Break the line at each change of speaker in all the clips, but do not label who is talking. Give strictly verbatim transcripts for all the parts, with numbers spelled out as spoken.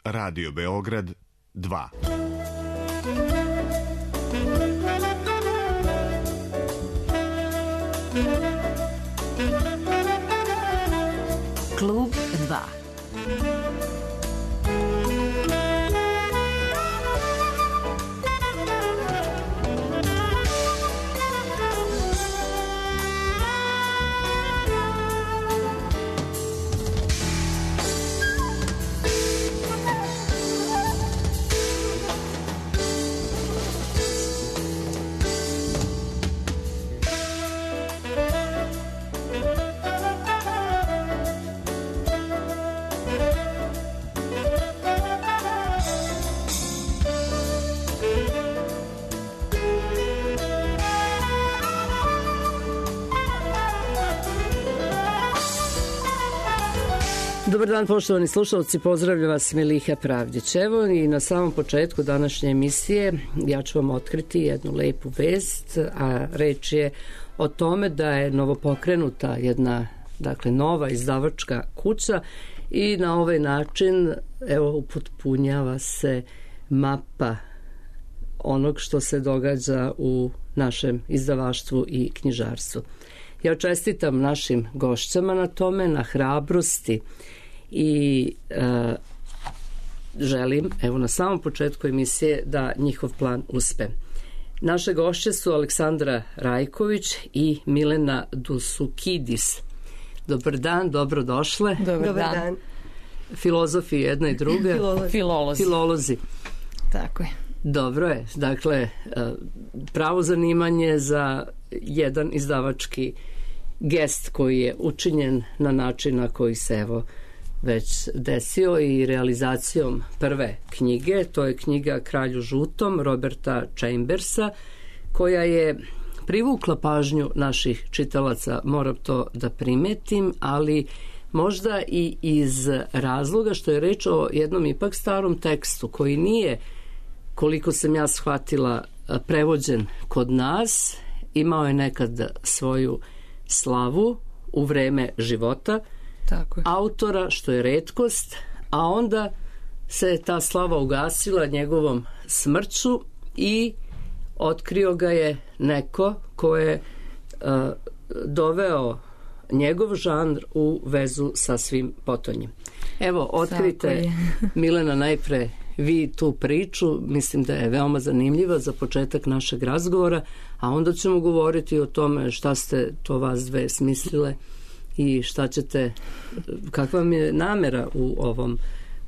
Radio Beograd dva.
Klub dva.
Dobar dan, poštovani slušalci, pozdravlja vas Miliha Pravdić. Evo i na samom početku današnje emisije ja ću vam otkriti jednu lepu vest, a reč je o tome da je novopokrenuta jedna, dakle, nova izdavačka kuća i na ovaj način, evo, upotpunjava se mapa onog što se događa u našem izdavaštvu i knjižarstvu. Ja čestitam našim gošćama na tome, na hrabrosti i e, želim, evo na samom početku emisije, da njihov plan uspe. Naše gošće su Aleksandra Rajković i Milena Dusukidis. Dobar dan, dobrodošle.
Dobar, Dobar dan. dan.
Filozofi jedna i druga.
Filolozi.
Filolozi. Filolozi.
Tako je.
Dobro je, dakle, pravo zanimanje za jedan izdavački gest koji je učinjen na način na koji se evo već desio i realizacijom prve knjige. To je knjiga Kralju žutom Roberta Chambersa, koja je privukla pažnju naših čitalaca, moram to da primetim, ali možda i iz razloga što je reč o jednom ipak starom tekstu koji nije, koliko sam ja shvatila, prevođen kod nas. Imao je nekad svoju slavu u vreme života
Tako je.
autora, što je retkost, a onda se ta slava ugasila njegovom smrću i otkrio ga je neko ko je uh, doveo njegov žanr u vezu sa svim potonjim. Evo, otkrite Milena najpre vi tu priču, mislim da je veoma zanimljiva za početak našeg razgovora, a onda ćemo govoriti o tome šta ste to vas dve smislile i šta ćete, kakva vam je namera u ovom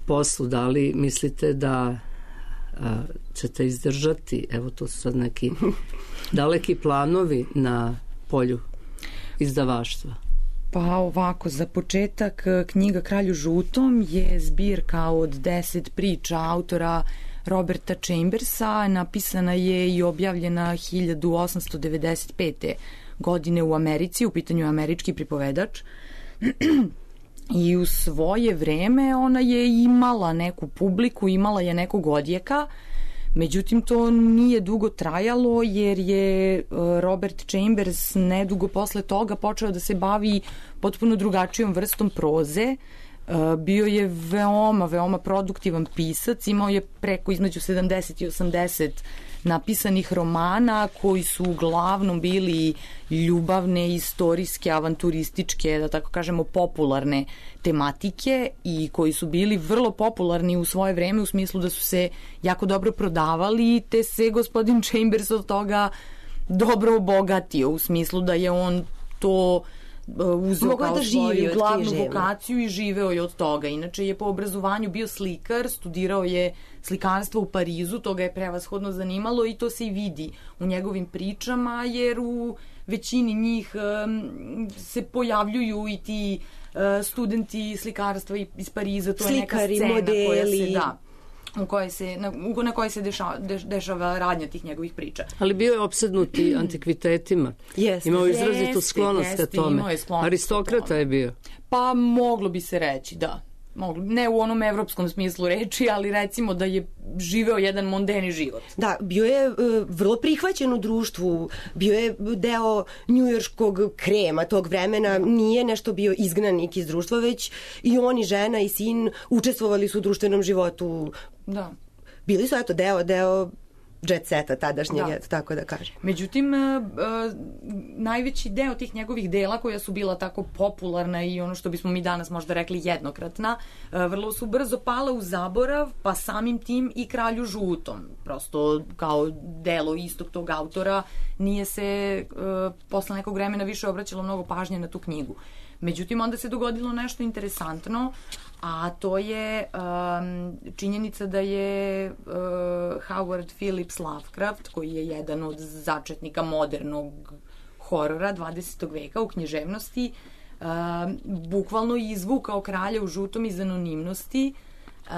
poslu, da li mislite da a, ćete izdržati, evo to su sad neki daleki planovi na polju izdavaštva.
Pa ovako, za početak, knjiga Kralju žutom je zbirka od deset priča autora Roberta Chambersa, napisana je i objavljena hiljadu osamsto devedeset pete. godine u Americi, u pitanju je američki pripovedač. I u svoje vreme ona je imala neku publiku, imala je nekog odjeka, međutim to nije dugo trajalo jer je Robert Chambers nedugo posle toga počeo da se bavi potpuno drugačijom vrstom proze. Bio je veoma, veoma produktivan pisac, imao je preko između sedamdeset i osamdeset napisanih romana koji su uglavnom bili ljubavne, istorijske, avanturističke, da tako kažemo popularne tematike i koji su bili vrlo popularni u svoje vreme u smislu da su se jako dobro prodavali, te se gospodin Chambers od toga dobro obogatio u smislu da je on to uzeo
Mogao
kao
da
svoju glavnu vokaciju i živeo je od toga. Inače je po obrazovanju bio slikar, studirao je slikarstvo u Parizu, to ga je prevashodno zanimalo i to se i vidi u njegovim pričama, jer u većini njih um, se pojavljuju i ti uh, studenti slikarstva iz Pariza, to Slikari, je neka scena modeli. koja se da u kojoj se, na, na kojoj se dešava, deš, dešava radnja tih njegovih priča.
Ali bio je opsednuti antikvitetima.
Jeste.
Imao izrazitu sklonost ka tome. Aristokrata je bio.
Pa moglo bi se reći, da. ne u onom evropskom smislu reči, ali recimo da je živeo jedan mondeni život.
Da, bio je uh, vrlo prihvaćen u društvu, bio je deo njujorškog krema tog vremena, nije nešto bio izgnanik iz društva, već i on i žena i sin učestvovali su u društvenom životu.
Da.
Bili su, eto, deo, deo jet seta tadašnjeg, da. Tako da kažem.
Međutim, uh, najveći deo tih njegovih dela koja su bila tako popularna i ono što bismo mi danas možda rekli jednokratna, uh, vrlo su brzo pala u zaborav, pa samim tim i Kralju žutom. Prosto kao delo istog tog autora nije se uh, posle nekog vremena više obraćalo mnogo pažnje na tu knjigu. Međutim, onda se dogodilo nešto interesantno, a to je um, činjenica da je uh, Howard Phillips Lovecraft, koji je jedan od začetnika modernog horora dvadesetog veka u književnosti, uh, bukvalno izvukao Kralja u žutom iz anonimnosti, uh,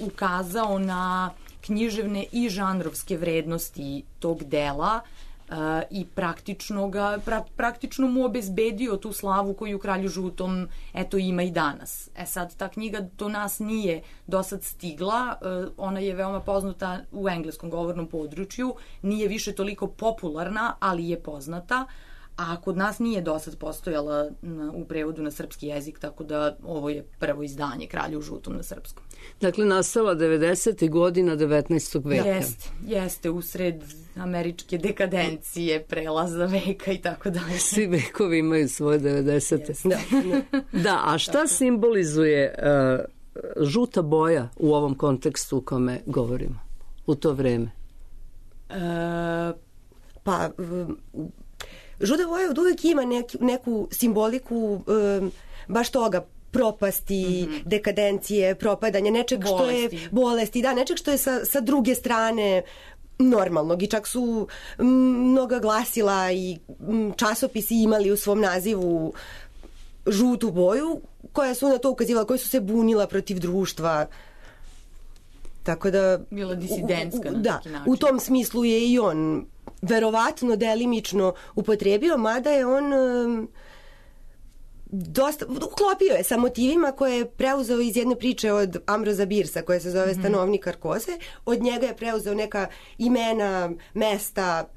ukazao na književne i žanrovske vrednosti tog dela, Uh, i praktično, ga, pra, praktično mu obezbedio tu slavu koju Kralju žutom eto ima i danas. E sad, ta knjiga do nas nije do sad stigla, uh, ona je veoma poznata u engleskom govornom području, nije više toliko popularna, ali je poznata, a kod nas nije do sad postojala na, u prevodu na srpski jezik, tako da ovo je prvo izdanje Kralju žutom na srpskom.
Dakle, nastala devedesetih godina devetnaestog veka.
Jeste, jeste, usred američke dekadencije, prelaza veka i tako dalje.
Svi vekovi imaju svoje devedesete. Da. Da, a šta simbolizuje uh, žuta boja u ovom kontekstu u kome govorimo u to vreme?
Uh, pa... Um, žuta boja od uvek ima nek, neku simboliku um, baš toga, propasti, mm-hmm. dekadencije, propadanja, nečeg bolesti. Što je bolesti, da, nečeg što je sa, sa druge strane normalnog i čak su m, mnoga glasila i m, časopisi imali u svom nazivu žutu boju, koja su na to ukazivala, koja su se bunila protiv društva. Tako da...
Bila disidentska na
da,
neki način.
U tom smislu je i on verovatno delimično upotrebio, mada je on um, dosta, uklopio je sa motivima koje je preuzeo iz jedne priče od Ambroza Birsa koja se zove mm-hmm. Stanovnik Karkose. Od njega je preuzeo neka imena, mesta,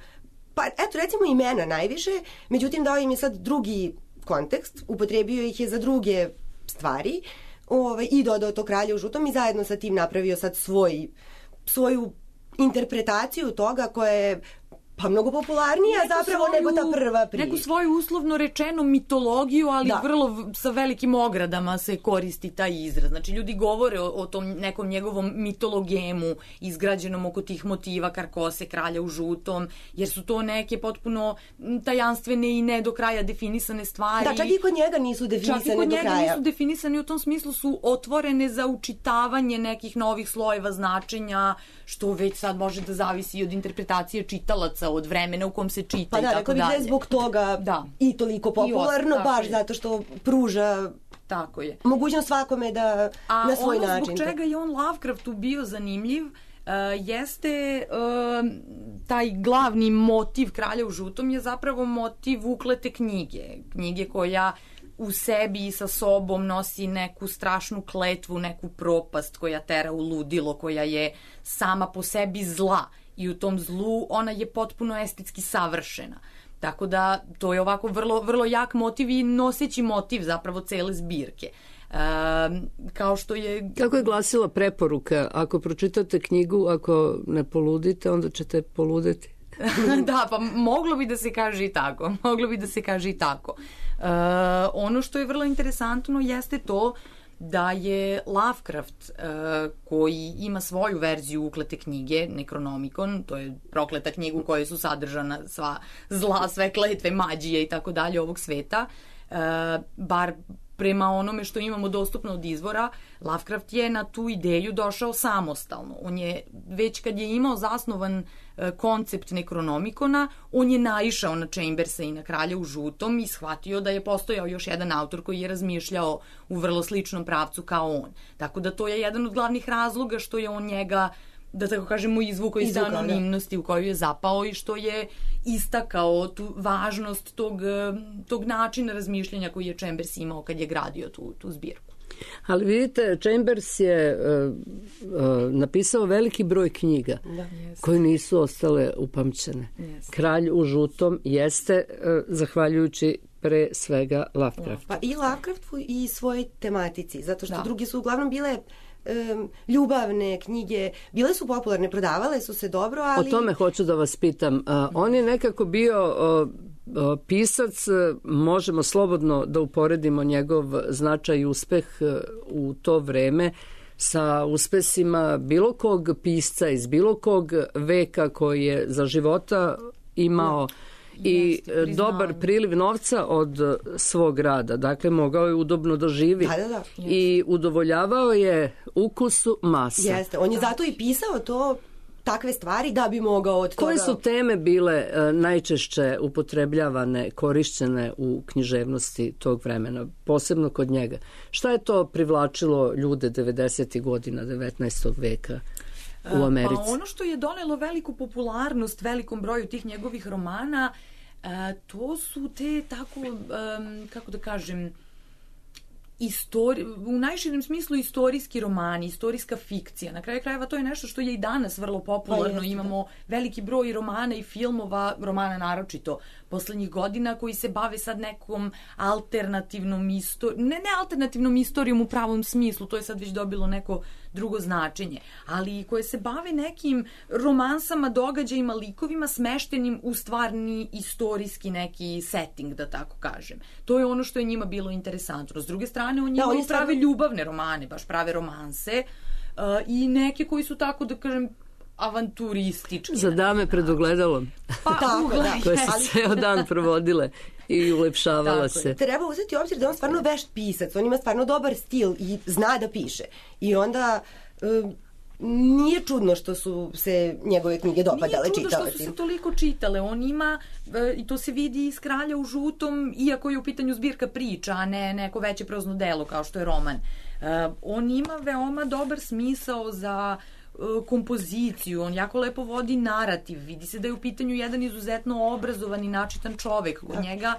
pa eto recimo imena najviše, međutim dao im je sad drugi kontekst, upotrebio ih je za druge stvari, ovaj, i dodao to Kralja u žutom i zajedno sa tim napravio sad svoj, svoju interpretaciju toga koja je pa mnogo popularnija neku zapravo svoju, nego ta prva priča.
Neku svoju uslovno rečeno mitologiju, ali da. Vrlo sa velikim ogradama se koristi taj izraz. Znači ljudi govore o, o tom nekom njegovom mitologemu izgrađenom oko tih motiva Karkose, Kralja u žutom, jer su to neke potpuno tajanstvene i ne do kraja definisane stvari.
Da, čak i kod njega nisu definisane do kraja. Čak i kod njega
nisu definisane, u tom smislu su otvorene za učitavanje nekih novih slojeva značenja, što već sad može da zavisi od interpretacije čitalaca, od vremena u kom se čita
pa da,
i tako dalje. Pa da,
rekao bih da je zbog toga da. I toliko popularno, I baš je. Zato što pruža
tako je.
Mogućnost svakome da a na svoj
način. A
ono
zbog čega je on Lovecraftu bio zanimljiv, uh, jeste uh, taj glavni motiv Kralja u žutom je zapravo motiv uklete knjige. Knjige koja u sebi i sa sobom nosi neku strašnu kletvu, neku propast koja tera u ludilo, koja je sama po sebi zla i u tom zlu ona je potpuno estetski savršena. Tako da to je ovako vrlo, vrlo jak motiv i noseći motiv zapravo cele zbirke. E, kao što je...
Kako je glasila preporuka? Ako pročitate knjigu, ako ne poludite, onda ćete poludeti.
Da, pa moglo bi da se kaže i tako. Moglo bi da se kaže i tako. E, ono što je vrlo interesantno jeste to da je Lovecraft, uh, koji ima svoju verziju uklete knjige, Necronomicon, to je prokleta knjiga u kojoj su sadržana sva zla, sve kletve, mađije i tako dalje ovog sveta, uh, bar prema onome što imamo dostupno od izvora, Lovecraft je na tu ideju došao samostalno. On je, već kad je imao zasnovan e, koncept Necronomicona, on je naišao na Chambersa i na Kralja u žutom i shvatio da je postojao još jedan autor koji je razmišljao u vrlo sličnom pravcu kao on. Tako da to je jedan od glavnih razloga što je on njega, da tako kažemo, izvukao iz anonimnosti u koju je zapao i što je istakao tu važnost tog, tog načina razmišljanja koji je Chambers imao kad je gradio tu, tu zbirku.
Ali vidite, Chambers je uh, uh, napisao veliki broj knjiga
da, yes.
koje nisu ostale upamćene.
Yes.
Kralj u žutom jeste uh, zahvaljujući pre svega Lovecraftu.
Pa i Lovecraftu i svojoj tematici, zato što
da. drugi
su uglavnom bile um, ljubavne knjige, bile su popularne, prodavale su se dobro, ali...
O tome hoću da vas pitam. Uh, on je nekako bio... Uh, pisac, možemo slobodno da uporedimo njegov značaj i uspeh u to vreme sa uspesima bilo kog pisca iz bilo kog veka koji je za života imao da. i Jeste, dobar priliv novca od svog rada. Dakle, mogao je udobno da živi
da, da, da.
i udovoljavao je ukusu masa.
Jeste, on je da. zato i pisao to takve stvari da bi mogao od toga...
Koje su teme bile uh, najčešće upotrebljavane, korišćene u književnosti tog vremena, posebno kod njega? Šta je to privlačilo ljude devedesetih godina devetnaestog veka u Americi?
Pa ono što je donelo veliku popularnost velikom broju tih njegovih romana, uh, to su te tako, um, kako da kažem, Istori, u najširem smislu istorijski romani, istorijska fikcija. Na kraju krajeva to je nešto što je i danas vrlo popularno. Pa imamo veliki broj romana i filmova, romana naročito poslednjih godina, koji se bave sad nekom alternativnom istorijom, ne, ne alternativnom istorijom u pravom smislu, to je sad već dobilo neko drugo značenje, ali koje se bave nekim romansama, događajima, likovima smeštenim u stvarni istorijski neki setting, da tako kažem. To je ono što je njima bilo interesantno. S druge strane, on njima da, prave stvarno... ljubavne romane, baš prave romanse uh, i neke koji su tako, da kažem, avanturistički.
Za dame pred ogledalom.
Pa, tako, da.
Koje su ali... ceo dan provodile i ulepšavala se.
Je. Treba uzeti u obzir da on stvarno vešt pisac, on ima stvarno dobar stil i zna da piše. I onda... Um, nije čudno što su se njegove knjige dopadale čitaocima.
Nije čudno što su se toliko čitale. On ima, i to se vidi iz Kralja u žutom, iako je u pitanju zbirka priča, a ne neko veće prozno delo kao što je roman. On ima veoma dobar smisao za kompoziciju, on jako lepo vodi narativ, vidi se da je u pitanju jedan izuzetno obrazovan i načitan čovek. Kod da. njega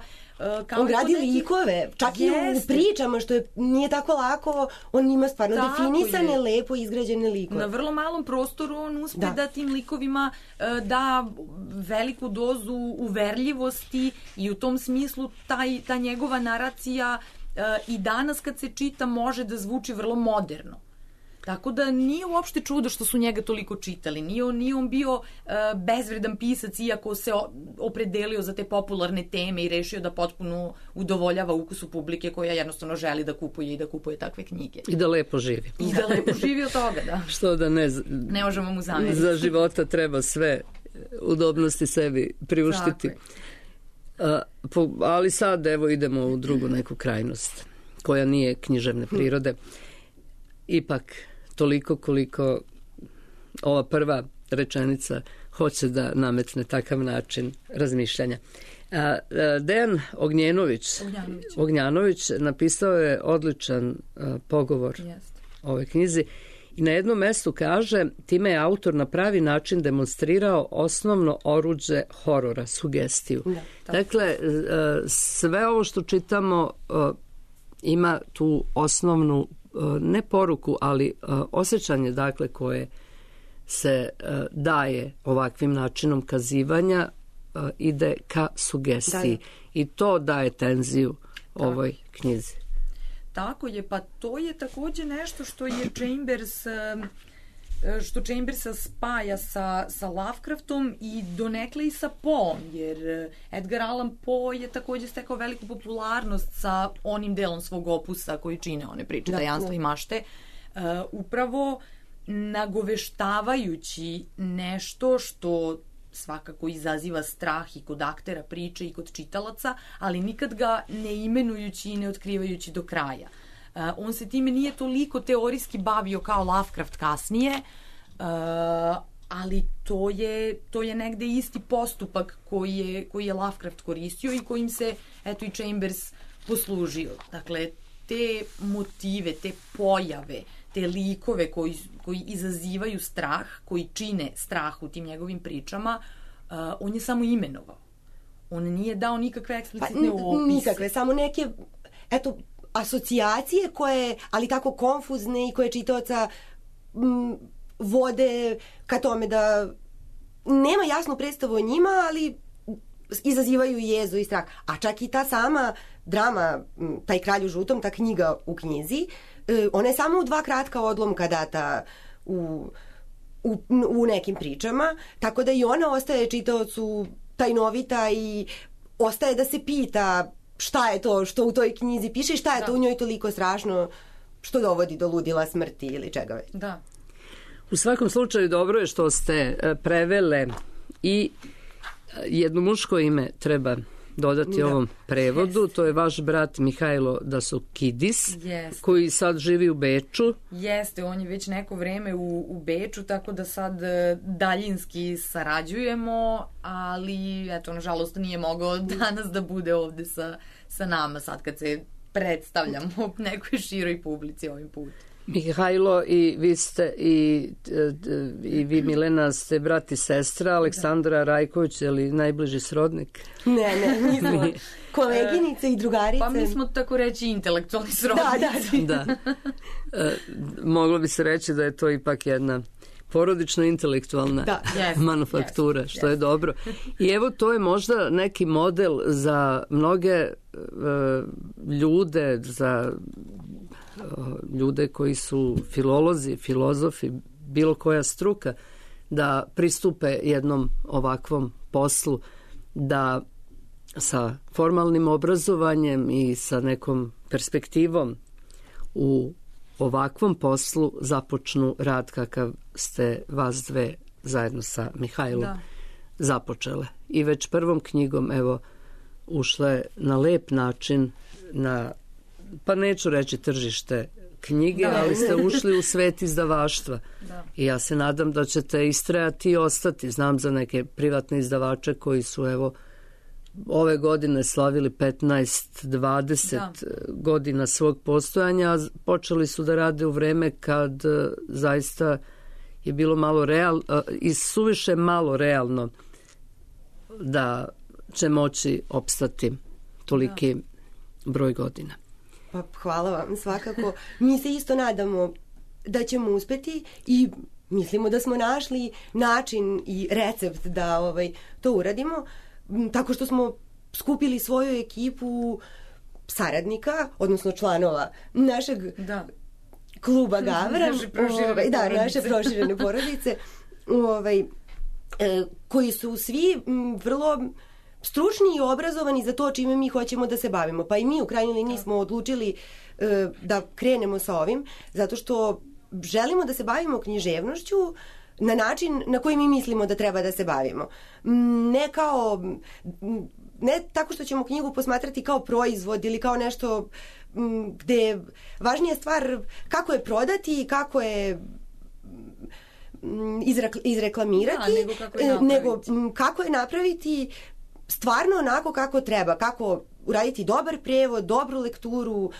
kao
on gradi neki... likove, čak Jeste. i u pričama, što je, nije tako lako, on ima stvarno tako definisane, je. lepo izgrađene likove.
Na vrlo malom prostoru on uspe da, da tim likovima da veliku dozu uverljivosti i u tom smislu taj, ta njegova naracija i danas kad se čita može da zvuči vrlo moderno. Tako da nije uopšte čudo što su njega toliko čitali. Nije on, nije on bio uh, bezvredan pisac, iako se opredelio za te popularne teme i rešio da potpuno udovoljava ukusu publike koja jednostavno želi da kupuje i da kupuje takve knjige.
I da lepo živi.
I da lepo živi od toga, da.
Što da ne...
Ne možemo mu zameriti.
Za života treba sve udobnosti sebi priuštiti. Uh, po, ali sad evo idemo u drugu neku krajnost koja nije književne prirode. Ipak toliko koliko ova prva rečenica hoće da nametne takav način razmišljanja. A, a, Dejan Ognjenović,
Ognjanović.
Ognjanović napisao je odličan a, pogovor
Jest.
ovoj knjizi i na jednom mestu kaže, time je autor na pravi način demonstrirao osnovno oruđe horora, sugestiju. Da, dakle, a, sve ovo što čitamo a, ima tu osnovnu ne poruku, ali uh, osjećanje dakle koje se uh, daje ovakvim načinom kazivanja uh, ide ka sugestiji. Da, i to daje tenziju tako. ovoj knjizi.
Tako je, pa to je takođe nešto što je Chambers što Chambersa spaja sa, sa Lovecraftom i donekle i sa Poeom, jer Edgar Allan Poe je takođe stekao veliku popularnost sa onim delom svog opusa koji čine one priče, da, tajanstva da. i mašte, uh, upravo nagoveštavajući nešto što svakako izaziva strah i kod aktera priče i kod čitalaca, ali nikad ga ne imenujući i ne otkrivajući do kraja. Uh, on se time nije toliko teorijski bavio kao Lovecraft kasnije, uh, ali to je, to je negde isti postupak koji je, koji je Lovecraft koristio i kojim se eto i Chambers poslužio. Dakle, te motive, te pojave, te likove koji, koji izazivaju strah, koji čine strah u tim njegovim pričama, uh, on je samo imenovao. On nije dao nikakve eksplicitne
pa,
opise.
Nikakve, samo neke, eto, asocijacije koje, ali tako konfuzne i koje čitaoca m, vode ka tome da nema jasnu predstavu o njima, ali izazivaju jezu i strah. A čak i ta sama drama, taj Kralj u žutom, ta knjiga u knjizi, ona je samo u dva kratka odlomka data u, u, u nekim pričama, tako da i ona ostaje čitaocu tajnovita i ostaje da se pita šta je to što u toj knjizi piše i šta je da. to u njoj toliko strašno što dovodi do ludila, smrti ili čega već.
Da.
U svakom slučaju dobro je što ste prevele i jedno muško ime treba dodati da. ovom prevodu. Yes. To je vaš brat Mihajlo Dasukidis, yes. koji sad živi u Beču.
Jeste, on je već neko vreme u, u Beču, tako da sad daljinski sarađujemo, ali eto, nažalost nije mogao danas da bude ovde sa, sa nama sad kad se predstavljamo nekoj široj publici ovim putem.
Mihajlo, i vi ste i, i vi Milena ste brat i sestra, Aleksandra da. Rajković, je li najbliži srodnik?
Ne, ne, mi smo koleginice i drugarice.
Pa mi smo tako reći intelektualni srodnici.
Da, da.
da. E, moglo bi se reći da je to ipak jedna porodično-intelektualna da. manufaktura, yes, što yes. je dobro. I evo, to je možda neki model za mnoge e, ljude, za ljude koji su filolozi, filozofi, bilo koja struka, da pristupe jednom ovakvom poslu, da sa formalnim obrazovanjem i sa nekom perspektivom u ovakvom poslu započnu rad kakav ste vas dve zajedno sa Mihajlom da. započele. I već prvom knjigom, evo, ušle na lep način na, pa neću reći tržište knjige, da. ali ste ušli u svet izdavaštva. Da. I ja se nadam da ćete istrajati i ostati. Znam za neke privatne izdavače koji su, evo, ove godine slavili petnaest dvadeset da. godina svog postojanja. Počeli su da rade u vreme kad zaista je bilo malo real, i suviše malo realno da će moći opstati toliki da. broj godina.
Pa hvala vam svakako. Mi se isto nadamo da ćemo uspeti i mislimo da smo našli način i recept da ovaj, to uradimo, tako što smo skupili svoju ekipu saradnika, odnosno članova našeg da. kluba Gavran,
naše proširene
ovaj, da, naše proširene porodice, ovaj, e, koji su svi m, vrlo stručni i obrazovani za to čime mi hoćemo da se bavimo. Pa i mi u krajnjoj liniji smo odlučili e, da krenemo sa ovim, zato što želimo da se bavimo književnošću na način na koji mi mislimo da treba da se bavimo. Ne kao, ne tako što ćemo knjigu posmatrati kao proizvod ili kao nešto gde je važnija stvar kako je prodati, kako je izreklamirati,
da, nego, kako je
nego kako je napraviti stvarno onako kako treba, kako uraditi dobar prevod, dobru lekturu,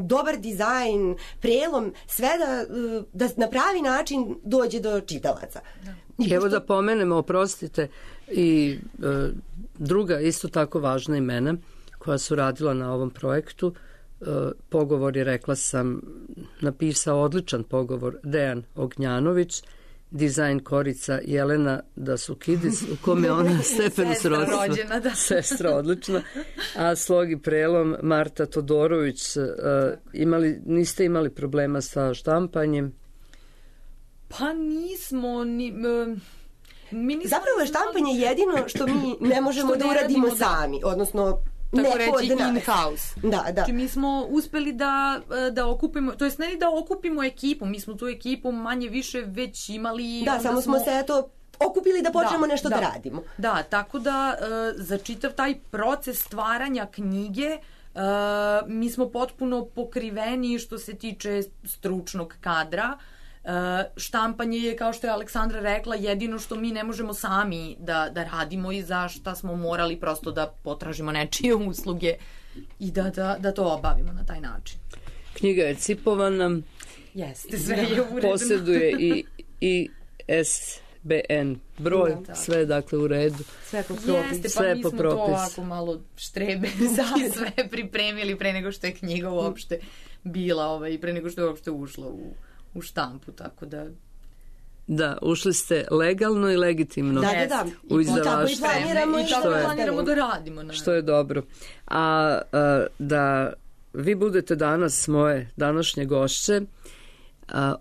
dobar dizajn, prelom, sve da, da na pravi način dođe do čitalaca.
Da. I evo da pomenemo, oprostite, i e, druga isto tako važna imena koja su radila na ovom projektu. E, pogovor je, rekla sam, napisao odličan pogovor Dejan Ognjanović, dizajn korica Jelena Dasukidis, u kome ona stepenu srodstva.
Rođena, da.
Sestra odlična. A slog i prelom Marta Todorović. Uh, imali, niste imali problema sa štampanjem?
Pa nismo. Ni, uh, mi nismo
Zapravo je štampanje jedino što mi ne možemo da uradimo da. sami. Odnosno,
tako reći in-house.
Da, da.
Znači mi smo uspeli da, da okupimo, to jest ne da okupimo ekipu, mi smo tu ekipu manje više već imali.
Da, samo smo se eto okupili da počnemo
da,
nešto
da,
da radimo.
Da, tako da za čitav taj proces stvaranja knjige mi smo potpuno pokriveni što se tiče stručnog kadra. Uh, štampanje je, kao što je Aleksandra rekla, jedino što mi ne možemo sami da, da radimo i za šta smo morali prosto da potražimo nečije usluge i da, da, da to obavimo na taj način.
Knjiga je cipovana.
Jeste, sve je uredno.
Posjeduje i, i S B N broj, da, sve je dakle u redu.
Sve po propisu.
Jeste, pa
sve
mi
po
smo
propisu.
to ovako malo štrebe i sve pripremili pre nego što je knjiga uopšte bila, ovaj, pre nego što je uopšte ušla u, u štampu, tako da...
Da, ušli ste legalno i legitimno
da, da, da.
u izdavaštvo.
I tako i planiramo,
i tako planiramo da radimo. Ne.
Što je dobro. A, a da vi budete danas moje današnje gošće, a,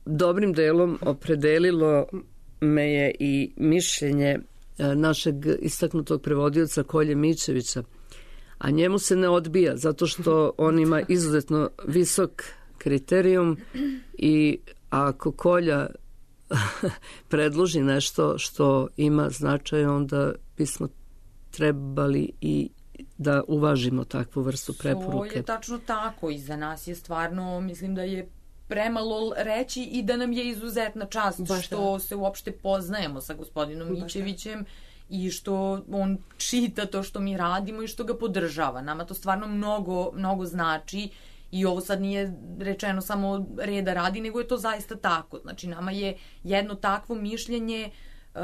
dobrim delom opredelilo me je i mišljenje a, našeg istaknutog prevodioca Kolje Mićevića, a njemu se ne odbija zato što on ima izuzetno visok kriterijum i ako Kolja predloži nešto što ima značaj, onda bismo trebali i da uvažimo takvu vrstu preporuke.
To je tačno tako i za nas je stvarno, mislim da je premalo reći i da nam je izuzetna čast Baš što da. se uopšte poznajemo sa gospodinom Mićevićem i što on čita to što mi radimo i što ga podržava. Nama to stvarno mnogo, mnogo znači. I ovo sad nije rečeno samo reda radi, nego je to zaista tako. Znači, nama je jedno takvo mišljenje uh,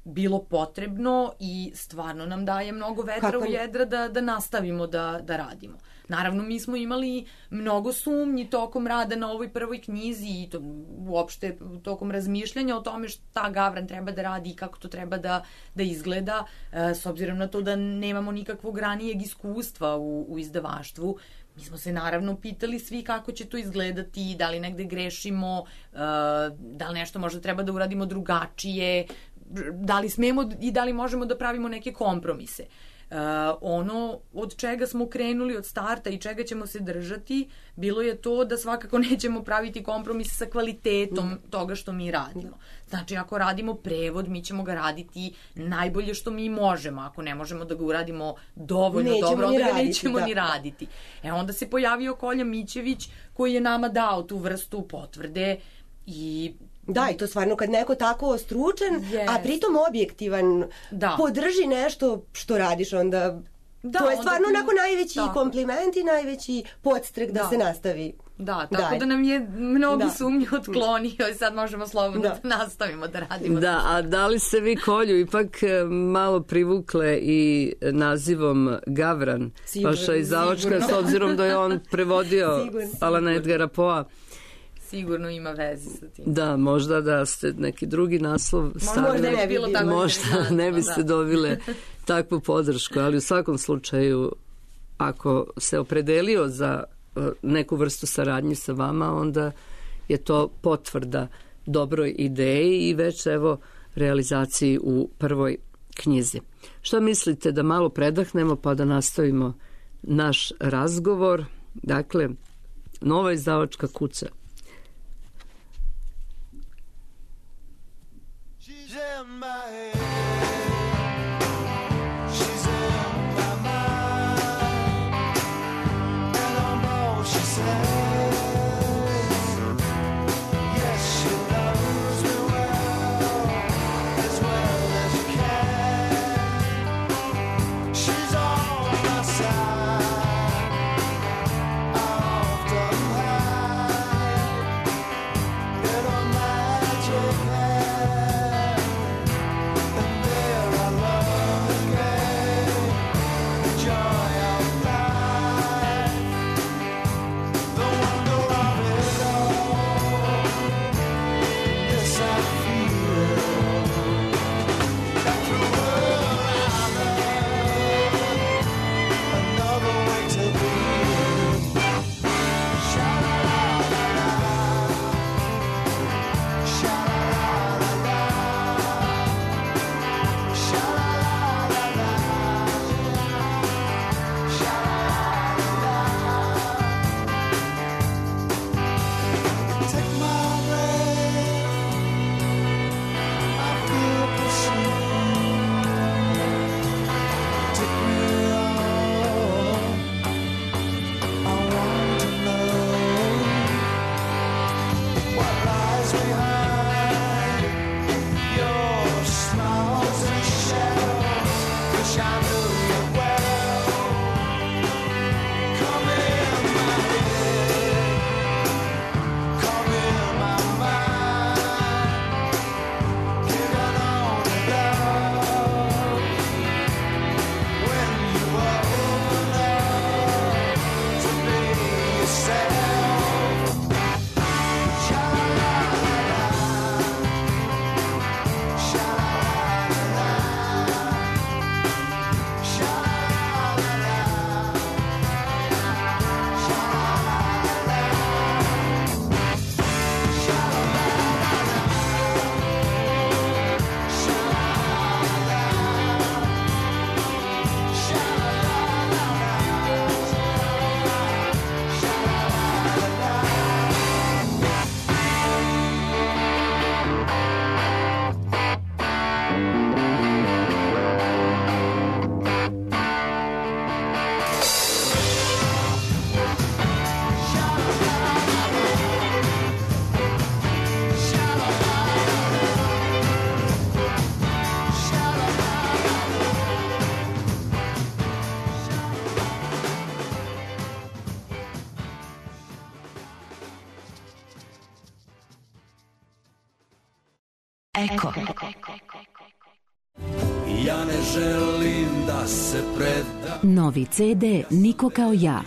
bilo potrebno i stvarno nam daje mnogo vetra Kako? u jedra da, da nastavimo da, da radimo. Naravno, mi smo imali mnogo sumnji tokom rada na ovoj prvoj knjizi i to, uopšte tokom razmišljanja o tome šta Gavran treba da radi i kako to treba da, da izgleda, uh, s obzirom na to da nemamo nikakvog ranijeg iskustva u, u izdavaštvu. Mi smo se naravno pitali svi kako će to izgledati, da li negde grešimo, da li nešto možda treba da uradimo drugačije, da li smemo i da li možemo da pravimo neke kompromise. Uh, ono od čega smo krenuli od starta i čega ćemo se držati bilo je to da svakako nećemo praviti kompromise sa kvalitetom mm. toga što mi radimo. Znači ako radimo prevod mi ćemo ga raditi najbolje što mi možemo, ako ne možemo da ga uradimo dovoljno nećemo dobro onda ga raditi, nećemo da. ni raditi. E onda se pojavio Kolja Mićević koji je nama dao tu vrstu potvrde i
Da, i to stvarno kad neko tako ostručen, yes. a pritom objektivan, da. podrži nešto što radiš, onda da, to je stvarno ti... onako najveći tako. kompliment i najveći podstrek da, da se nastavi.
Da, tako Daj. da nam je mnogi da. sumnji otklonio i sad možemo slobodno da. da nastavimo da radimo.
Da, a da li se vi Kolju ipak malo privukle i nazivom Gavran, sigurno, vaša izdavačka, s obzirom da je on prevodio Alana Edgara Poea?
Sigurno ima veze sa tim.
Da, možda da ste neki drugi naslov stavili.
Možda ne bi bilo tako
možda ne biste da. dobile takvu podršku, ali u svakom slučaju ako se opredelio za neku vrstu saradnje sa vama, onda je to potvrda dobroj ideji i već evo realizaciji u prvoj knjizi. Što mislite da malo predahnemo pa da nastavimo naš razgovor? Dakle, Nova izdavačka kuća. She's in my head. She's in my mind. And I know she says, yes, she knows me well, as well as she can. She's on my side. I often hide in a magic hand.
Eko.
Ja ne želim da se predam.
Novi ce de Niko kao ja.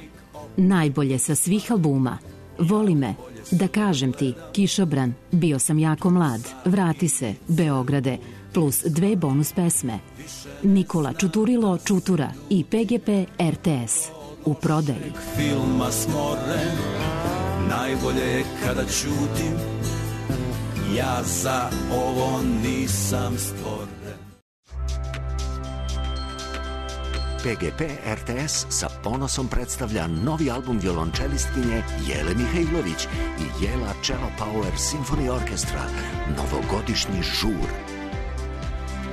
Najbolje sa svih albuma. Voli me, Da kažem ti, Kišobran, Bio sam jako mlad, Vrati se, Beograde, plus dve bonus pesme. Nikola Čuturilo Čutura i pe ge pe er te es. U prodaji.
Filma smoren, najbolje je kada ćutim, ja za ovo nisam stvoren.
pe ge pe er te es sa ponosom predstavlja novi album violončelistkinje Jele Mihajlović i Jela Cello Power Symphony Orchestra, Novogodišnji žur.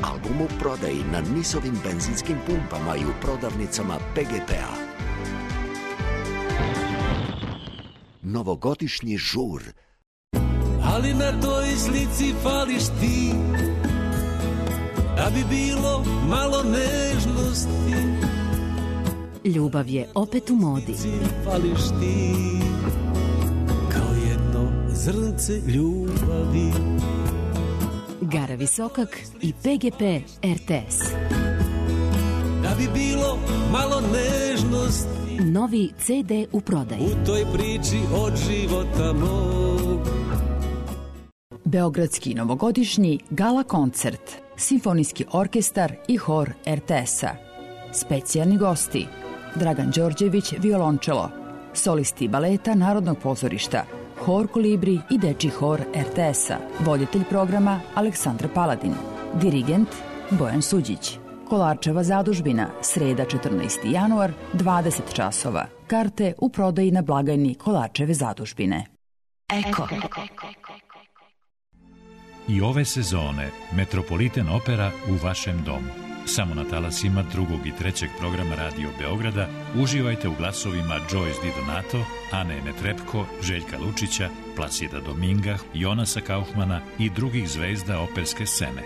Album u prodaji na Nisovim benzinskim pumpama i u prodavnicama pe ge pe-a. Novogodišnji žur.
Ali na toj slici fališ ti, da bi bilo malo nežnosti.
Ljubav je opet u modi.
Fališ ti, kao jedno zrnce ljubavi.
Gara Visokak i pe ge pe er te es.
Da bi bilo malo nežnosti.
Novi ce de u prodaji.
U toj priči od života mog.
Beogradski novogodišnji gala koncert, Simfonijski orkestar i hor er te es-a. Specijalni gosti: Dragan Đorđević, violončelo, solisti baleta Narodnog pozorišta, hor Kolibri i dečji hor er te es-a. Voditelj programa Aleksandra Paladin, dirigent Bojan Suđić. Kolarčeva zadužbina, sreda četrnaesti januar, dvadeset časova. Karte u prodaji na blagajni Kolarčeve zadužbine.
Eko.
I ove sezone Metropolitan Opera u vašem domu. Samo na talasima drugog i trećeg programa Radio Beograda uživajte u glasovima Joyce Di Donato, Ane Netrepko, Željka Lučića, Placida Dominga, Jonasa Kaufmana i drugih zvezda operske scene.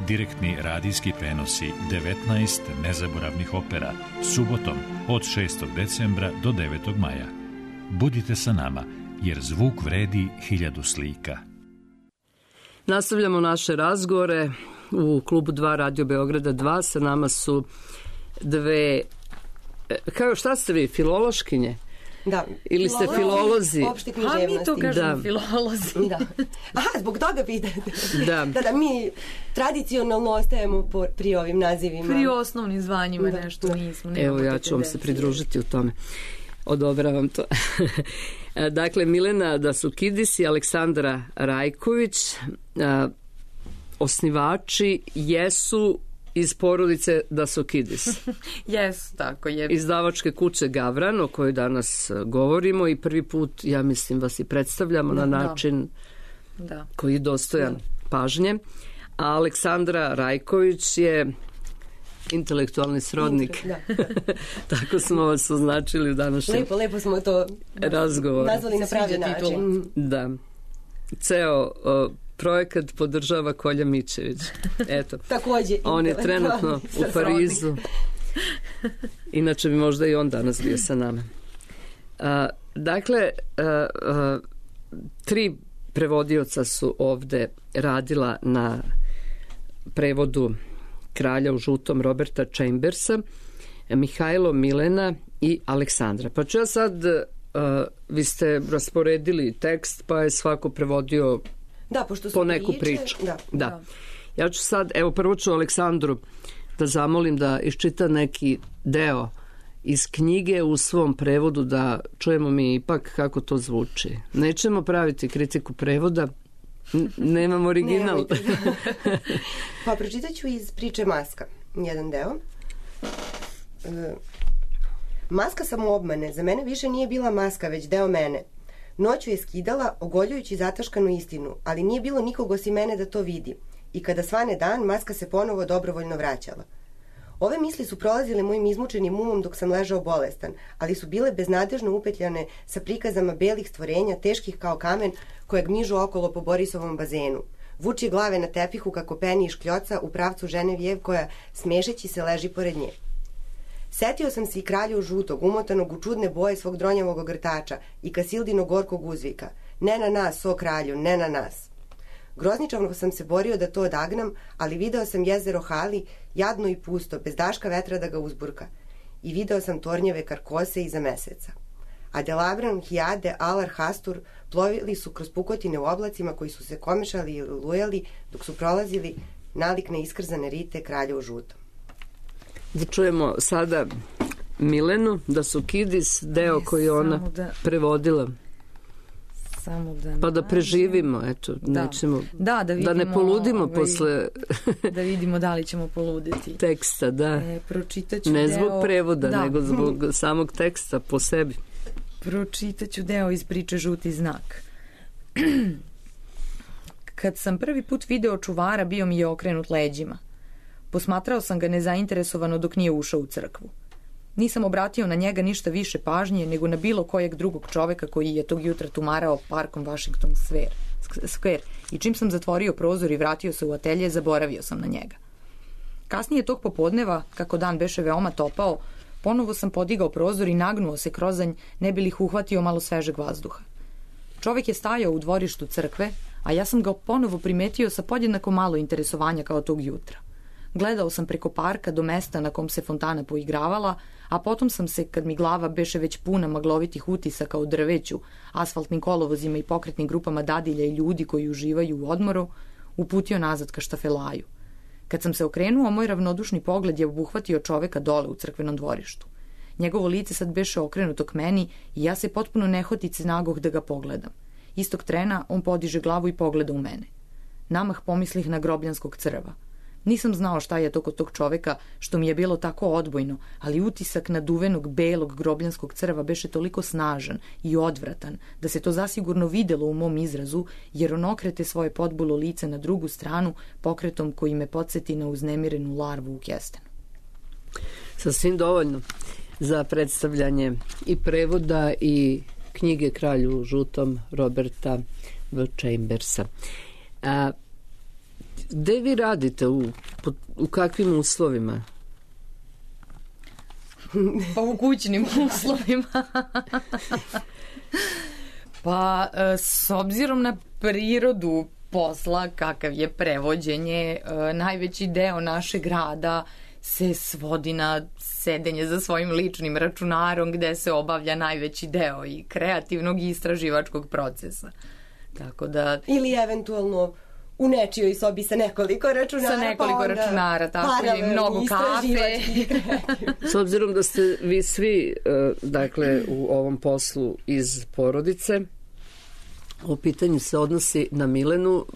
Direktni radijski prenosi devetnaest nezaboravnih opera subotom od šestog decembra do devetog maja. Budite sa nama, jer zvuk vredi hiljadu slika.
Nastavljamo naše razgovore u klubu dva Radio Beograda dva. Sa nama su dve, kao šta ste vi, filološkinje?
Da.
Ili ste filolozi?
Opšte književnosti.
A mi to kažemo
da.
filolozi.
Da. Aha, zbog toga pitate.
Da.
Da, da, mi tradicionalno ostajemo po, pri ovim nazivima.
Pri osnovnim zvanjima da. Nešto nismo.
Evo, ja ću vam se pridružiti u tome. Odobravam to. Dakle, Milena Dasukidis i Aleksandra Rajković, osnivači jesu iz porodice Dasukidis.
Jesu, tako je.
Izdavačke kuće Gavran, o kojoj danas govorimo i prvi put, ja mislim, vas i predstavljamo da, na način da. Koji je dostojan da. Pažnje. A Aleksandra Rajković je intelektualni srodnik. Da. Tako smo vas označili u današnjem
lepo, lepo smo to
razgovor.
Nazvali na pravi način.
Da. Ceo uh, projekat podržava Kolja Mićević. Eto.
Takođe.
On je trenutno u Parizu. Inače bi možda i on danas bio sa nama. Uh, dakle, uh, uh, tri prevodioca su ovde radila na prevodu Kralja u žutom Roberta Chambersa, Mihajlo, Milena i Aleksandra. Pa ću ja sad, uh, vi ste rasporedili tekst, pa je svako prevodio
da, pošto
po neku
priče,
priču.
Da.
Da. Ja ću sad, evo prvo ću Aleksandru da zamolim da iščita neki deo iz knjige u svom prevodu, da čujemo mi ipak kako to zvuči. Nećemo praviti kritiku prevoda, N- nemam original.
Pa pročitat ću iz priče Maska, jedan deo. E, maska samoobmane za mene više nije bila maska, već deo mene. Noću je skidala, ogoljujući zataškanu istinu, ali nije bilo nikog osim mene da to vidi. I kada svane dan, maska se ponovo dobrovoljno vraćala. Ove misli su prolazile mojim izmučenim umom dok sam ležao bolestan, ali su bile beznadežno upetljane sa prikazama belih stvorenja, teških kao kamen, koje gmižu okolo po Borisovom bazenu. Vuči glave na tepihu kako peni i škljoca u pravcu žene Vjev koja, smešeći se, leži pored nje. Setio sam se i kralju žutog, umotanog u čudne boje svog dronjavog ogrtača i Kasildinog gorkog uzvika. Ne na nas, o kralju, ne na nas. Grozničavno sam se borio da to odagnam, ali video sam jezero Hali, jadno i pusto, bez daška vetra da ga uzburka. I video sam tornjeve karkose iza meseca. A Delabran, Hijade, Alar, Hastur plovili su kroz pukotine u oblacima koji su se komešali i lujali dok su prolazili nalik na iskrzane rite kralja u žutom.
Da čujemo sada Milenu, da su Kidis, deo koji ona da... prevodila.
Samo da
pa da preživimo, eto, da. Nećemo,
da, da, vidimo,
da ne poludimo
ovaj,
posle
da vidimo da li ćemo poluditi.
Teksta, da.
E, pročitaću
ne
deo...
zbog prevoda,
da.
nego zbog samog teksta po sebi.
Pročitaću deo iz priče Žuti znak. Kad sam prvi put video čuvara, bio mi je okrenut leđima. Posmatrao sam ga nezainteresovano dok nije ušao u crkvu. Nisam obratio na njega ništa više pažnje nego na bilo kojeg drugog čoveka koji je tog jutra tumarao parkom Washington Square i čim sam zatvorio prozor i vratio se u atelje, zaboravio sam na njega. Kasnije tog popodneva, kako dan beše veoma topao, ponovo sam podigao prozor i nagnuo se krozanj, ne bi li uhvatio malo svežeg vazduha. Čovek je stajao u dvorištu crkve, a ja sam ga ponovo primetio sa podjednako malo interesovanja kao tog jutra. Gledao sam preko parka do mesta na kom se fontana poigravala, a potom sam se, kad mi glava beše već puna maglovitih utisaka u drveću, asfaltnim kolovozima i pokretnim grupama dadilja i ljudi koji uživaju u odmoru, uputio nazad ka štafelaju. Kad sam se okrenuo, moj ravnodušni pogled je obuhvatio čoveka dole u crkvenom dvorištu. Njegovo lice sad beše okrenuto k meni i ja se potpuno nehotice nagoh da ga pogledam. Istog trena on podiže glavu i pogleda u mene. Namah pomislih na grobljanskog crva. Nisam znao šta je to kod tog čoveka što mi je bilo tako odbojno, ali utisak naduvenog belog grobljanskog crva beše toliko snažan i odvratan da se to zasigurno videlo u mom izrazu, jer on okrete svoje podbulo lice na drugu stranu pokretom koji me podsjeti na uznemirenu larvu u kestenu.
Sasvim dovoljno za predstavljanje i prevoda i knjige Kralju žutom Roberta V. Chambersa. A gde vi radite? U, u kakvim uslovima?
Pa u kućnim uslovima. Pa s obzirom na prirodu posla, kakav je prevođenje, najveći deo našeg rada se svodi na sedenje za svojim ličnim računarom gde se obavlja najveći deo i kreativnog i istraživačkog procesa. Tako da...
Ili eventualno u nečijoj sobi sa nekoliko računara.
Sa nekoliko
pa
računara, tako i mnogo kafe.
S obzirom da ste vi svi, dakle, u ovom poslu iz porodice, o pitanju se odnosi na Milenu,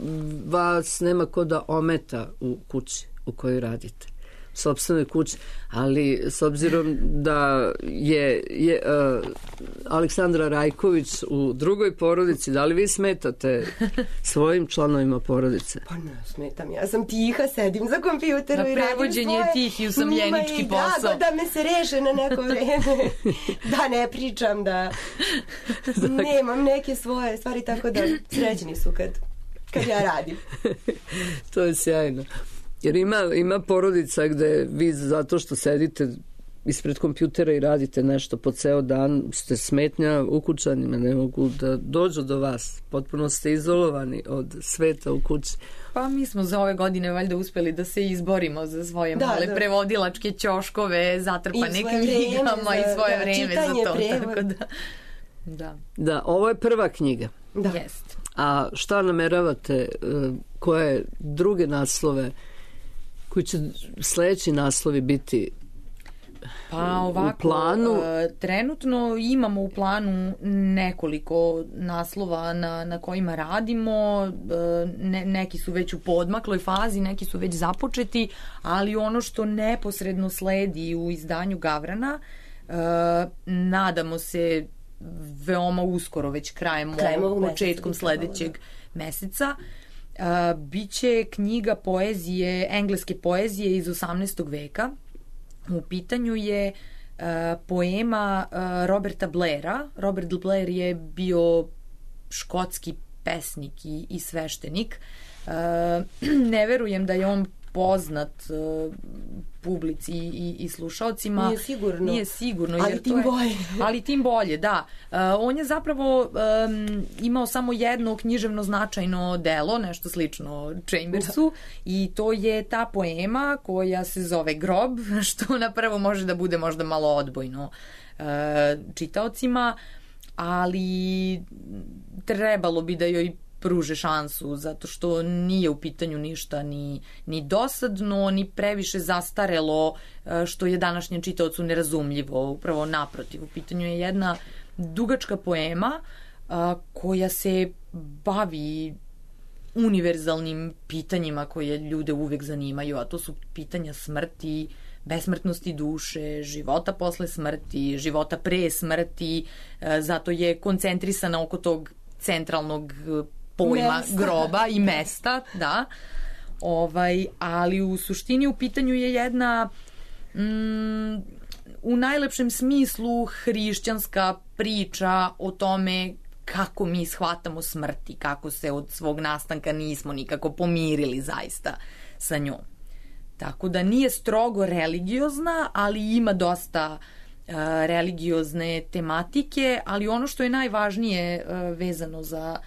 vas nema ko da ometa u kući u kojoj radite, u sopstvenoj kući, ali s obzirom da je, je uh, Aleksandra Rajković u drugoj porodici, da li vi smetate svojim članovima porodice?
Pa ne smetam, ja sam tiha, sedim za kompjuterom i radim svoje.
Na prevođenje je tih i usamljenički posao.
Da, da me se reše na neko vreme, da ne pričam, da nemam neke svoje stvari, tako da srećni su kad, kad ja radim.
To je sjajno. Jer ima, ima porodica gde vi zato što sedite ispred kompjutera i radite nešto po ceo dan, ste smetnja ukućanima, ne mogu da dođu do vas. Potpuno ste izolovani od sveta u kući.
Pa mi smo za ove godine valjda uspeli da se izborimo za svoje da, male
da.
prevodilačke ćoškove, zatrpane knjigama i svoje
da,
vreme za to.
Prevod.
Tako da, da.
Da, ovo je prva knjiga.
Da.
Jest.
A šta nameravate, koje druge naslove, koji će sledeći naslovi biti
pa ovako,
u planu?
E, trenutno imamo u planu nekoliko naslova na, na kojima radimo, e, ne, neki su već u podmakloj fazi, neki su već započeti, ali ono što neposredno sledi u izdanju Gavrana, e, nadamo se veoma uskoro, već krajem, krajem ovog, početkom sledećeg meseca, Uh, biće knjiga poezije, engleske poezije iz osamnaestog veka. U pitanju je uh, poema uh, Roberta Blaira. Robert Blair je bio škotski pesnik i, i sveštenik. Uh, ne verujem da je on poznat uh, publici i, i slušalcima.
Nije sigurno.
Nije sigurno.
Ali
jer
tim
to je,
bolje.
ali tim bolje, da. Uh, on je zapravo um, imao samo jedno književno značajno delo, nešto slično Chambersu, da. I to je ta poema koja se zove Grob, što na prvo može da bude možda malo odbojno uh, čitaocima, ali trebalo bi da joj pruže šansu, zato što nije u pitanju ništa ni, ni dosadno, ni previše zastarelo, što je današnjem čitaocu nerazumljivo. Upravo naprotiv, u pitanju je jedna dugačka poema a, koja se bavi univerzalnim pitanjima koje ljude uvek zanimaju, a to su pitanja smrti, besmrtnosti duše, života posle smrti, života pre smrti, zato je koncentrisana oko tog centralnog pojma mesta. Groba i mesta, da. Ovaj, ali u suštini u pitanju je jedna mm, u najlepšem smislu hrišćanska priča o tome kako mi shvatamo smrti, kako se od svog nastanka nismo nikako pomirili zaista sa njom. Tako da nije strogo religiozna, ali ima dosta uh, religiozne tematike, ali ono što je najvažnije uh, vezano za,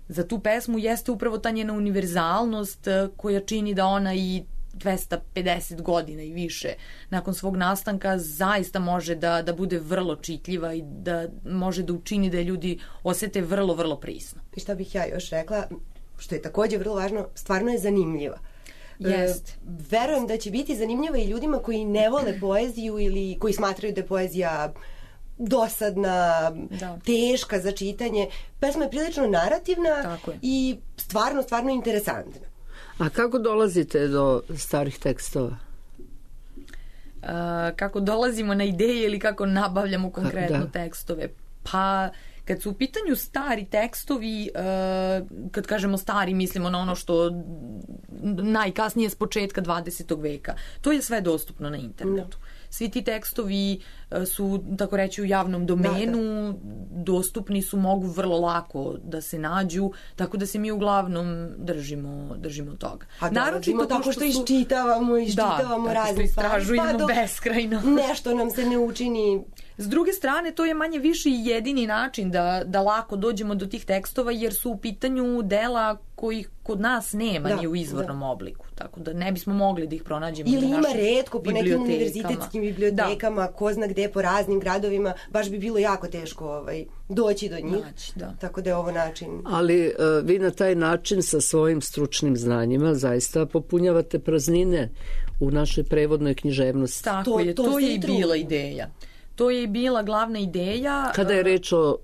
za tu pesmu jeste upravo ta njena univerzalnost uh, koja čini da ona i dvesta pedeset godina i više nakon svog nastanka zaista može da, da bude vrlo čitljiva i da može da učini da je ljudi osete vrlo, vrlo prisno.
I šta bih ja još rekla, što je takođe vrlo važno, stvarno je zanimljiva.
Jest.
Verujem da će biti zanimljiva i ljudima koji ne vole poeziju ili koji smatraju da je poezija dosadna, da. Teška za čitanje. Pesma je prilično narativna i stvarno, stvarno interesantna.
A kako dolazite do starih tekstova?
Uh, kako dolazimo na ideje ili kako nabavljamo konkretno da. tekstove? Pa kad su u pitanju stari tekstovi, uh, kad kažemo stari, mislimo na ono što najkasnije s početka dvadesetog veka. To je sve dostupno na internetu. Da. Svi ti tekstovi uh, su, tako reći, u javnom domenu, da, da. dostupni su, mogu vrlo lako da se nađu, tako da se mi uglavnom držimo, držimo toga.
A da, naročito tako što, što su... iščitavamo, iščitavamo da, razne stvari.
Istražujemo pa beskrajno.
Nešto nam se ne učini.
S druge strane, to je manje više i jedini način da, da lako dođemo do tih tekstova, jer su u pitanju dela kojih kod nas nema da, ni u izvornom da. obliku. Tako da ne bismo mogli da ih pronađemo.
Ili ima retko po nekim univerzitetskim bibliotekama, da. ko zna gde po raznim gradovima, baš bi bilo jako teško ovaj, doći do njih.
Naći, da.
Tako da je ovo način.
Ali uh, vi na taj način sa svojim stručnim znanjima zaista popunjavate praznine u našoj prevodnoj književnosti.
Tako to, je, to, to je i bila ideja. To je i bila glavna ideja.
Kada je reč o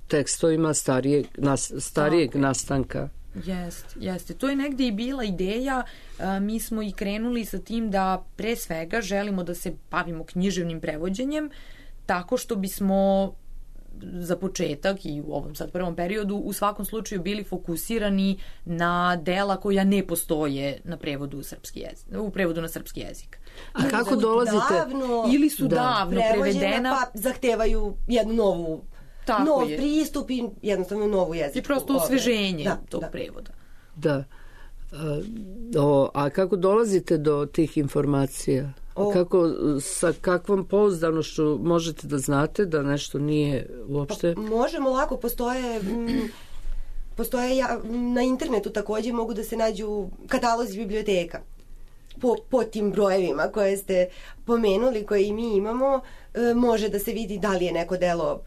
tekstovima starijeg, nas, starijeg tako nastanka.
Jest, jeste. To je negde i bila ideja. A, mi smo i krenuli sa tim da pre svega želimo da se bavimo književnim prevođenjem tako što bismo za početak i u ovom sad prvom periodu u svakom slučaju bili fokusirani na dela koja ne postoje na prevodu u srpski jezik, u prevodu na srpski jezik.
A ili kako dolazite?
Davno,
ili su da. davno prevedena,
pa zahtevaju jednu novu
Tako
nov
je.
pristup i jednostavno novu jezičku.
I prosto osveženje
da,
tog
da.
prevoda.
Da. A, o, a kako dolazite do tih informacija? O. Kako, sa kakvom pouzdanošću možete da znate da nešto nije uopšte?
Pa, možemo lako, postoje m, postoje ja, na internetu takođe mogu da se nađu katalozi biblioteka po, po tim brojevima koje ste pomenuli, koje i mi imamo, e, može da se vidi da li je neko delo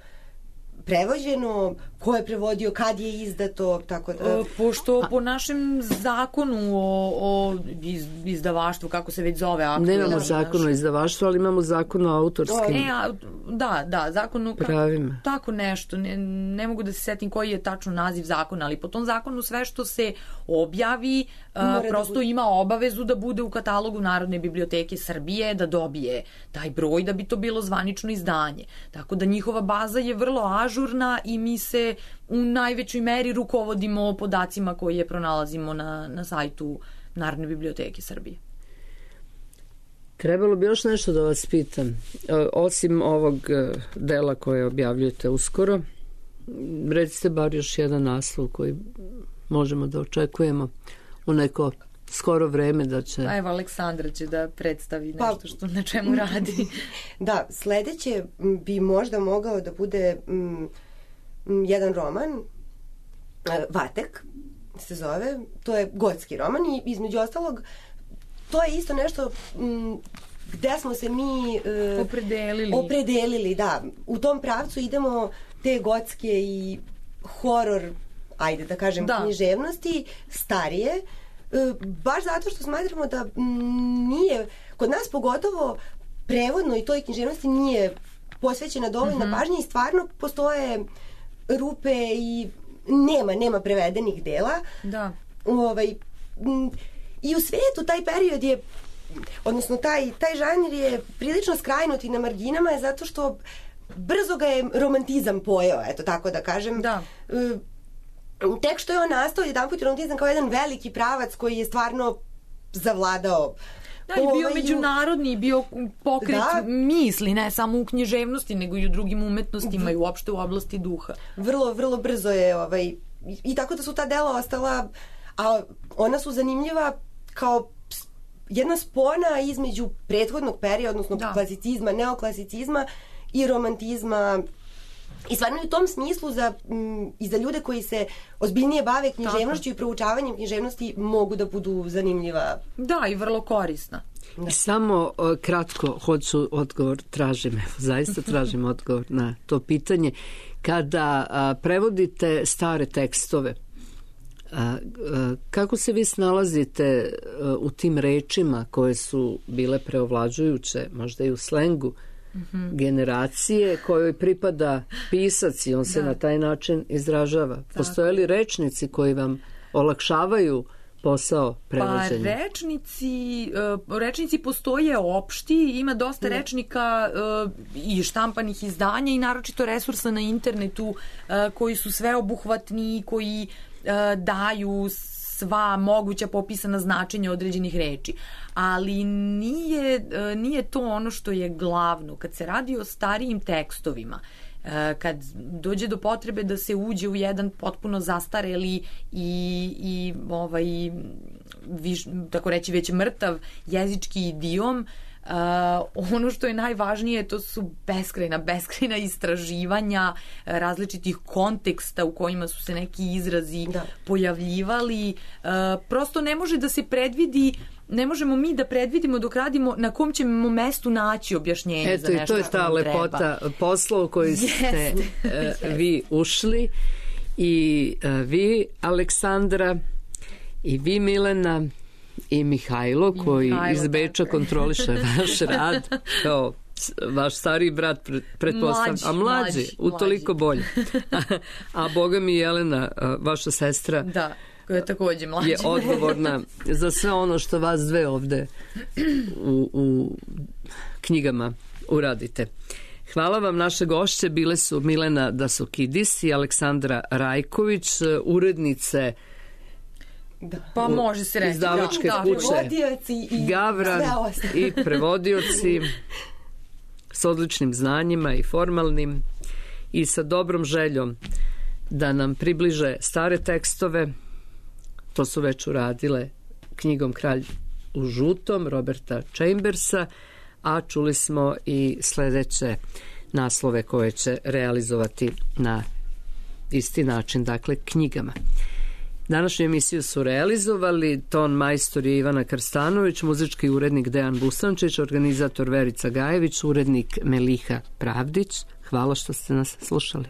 prevođeno, ko je prevodio, kad je izdato, tako da...
Pošto po našem zakonu o, o izdavaštvu, kako se već zove...
Nemamo da, zakon o izdavaštvu, ali imamo zakon o autorskim...
E, a, da, da, zakon o...
pravima.
Tako nešto, ne, ne mogu da se setim koji je tačno naziv zakona, ali po tom zakonu sve što se objavi a, prosto da ima obavezu da bude u katalogu Narodne biblioteke Srbije, da dobije taj broj, da bi to bilo zvanično izdanje. Tako da njihova baza je vrlo ažurna i mi se u najvećoj meri rukovodimo podacima koje pronalazimo na, na sajtu Narodne biblioteke Srbije.
Trebalo bi još nešto da vas pitam. Osim ovog dela koje objavljujete uskoro, recite bar još jedan naslov koji možemo da očekujemo u neko skoro vreme da će...
A evo, Aleksandra će da predstavi nešto pa, što na čemu radi.
Da, sledeće bi možda mogao da bude m, m, jedan roman, Vatek se zove, to je gotski roman i između ostalog to je isto nešto m, gde smo se mi uh,
opredelili.
opredelili, da. U tom pravcu idemo te gotske i horor, ajde da kažem, da. književnosti, starije, uh, baš zato što smatramo da m, nije, kod nas pogotovo prevodno i toj književnosti nije posvećena dovoljna mm-hmm. pažnja i stvarno postoje rupe i nema, nema prevedenih dela.
Da.
Ovaj, m, i u svetu taj period je, odnosno taj, taj žanr je prilično skrajnut i na marginama je zato što brzo ga je romantizam pojeo, eto tako da kažem.
Da.
E, tek što je on nastao jedan put romantizam kao jedan veliki pravac koji je stvarno zavladao.
Da, i bio međunarodni, bio pokret da. misli, ne samo u književnosti, nego i u drugim umetnostima i uopšte u oblasti duha.
Vrlo, vrlo brzo je, ovaj, i tako da su ta dela ostala, a ona su zanimljiva kao jedna spona između prethodnog perioda, odnosno da. klasicizma, neoklasicizma i romantizma. I stvarno u tom smislu za, m, i za ljude koji se ozbiljnije bave književnošću i proučavanjem književnosti mogu da budu zanimljiva.
Da, i vrlo korisna.
Da. Samo o, kratko hoću odgovor, tražim, evo, zaista tražim odgovor na to pitanje. Kada a, prevodite stare tekstove, a, a, kako se vi snalazite a, u tim rečima koje su bile preovlađujuće, možda i u slengu, mm-hmm. generacije kojoj pripada pisac i on se da. na taj način izražava? Tako. Postoje li rečnici koji vam olakšavaju posao prevođenja?
Pa rečnici, rečnici postoje opšti, ima dosta ne. rečnika i štampanih izdanja i naročito resursa na internetu koji su sveobuhvatni, koji daju sva moguća popisana značenja određenih reči. Ali nije, nije to ono što je glavno. Kad se radi o starijim tekstovima, kad dođe do potrebe da se uđe u jedan potpuno zastareli i, i ovaj, viš, tako reći već mrtav jezički idiom, Uh, ono što je najvažnije to su beskrajna, beskrajna istraživanja različitih konteksta u kojima su se neki izrazi da. pojavljivali. Uh, prosto ne može da se predvidi, ne možemo mi da predvidimo dok radimo na kom ćemo mestu naći objašnjenje
Eto,
za nešto što nam treba.
Eto i to je ta lepota posla u koji ste uh, vi ušli i uh, vi, Aleksandra, i vi, Milena, i Mihajlo, koji Mihajlo, iz Beča dakle. kontroliše vaš rad kao vaš stariji brat, pretpostavljam, a mlađi, mlađi utoliko mlađi. bolje. A, a boga mi Jelena, vaša sestra,
da, koja je takođe mlađa,
je odgovorna za sve ono što vas dve ovde u, u knjigama uradite. Hvala vam, naše gošće bile su Milena Dasokidis i Aleksandra Rajković, urednice
Da.
Pa može se reći
izdavačke
da,
kuće
prevodioci i
Gavran i prevodioci s odličnim znanjima i formalnim i sa dobrom željom da nam približe stare tekstove. To su već uradile knjigom Kralj u žutom Roberta Chambersa, a čuli smo i sledeće naslove koje će realizovati na isti način, dakle knjigama. Današnju emisiju su realizovali ton majstor je Ivana Krstanović, muzički urednik Dejan Busančić, organizator Verica Gajević, urednik Meliha Pravdić. Hvala što ste nas slušali.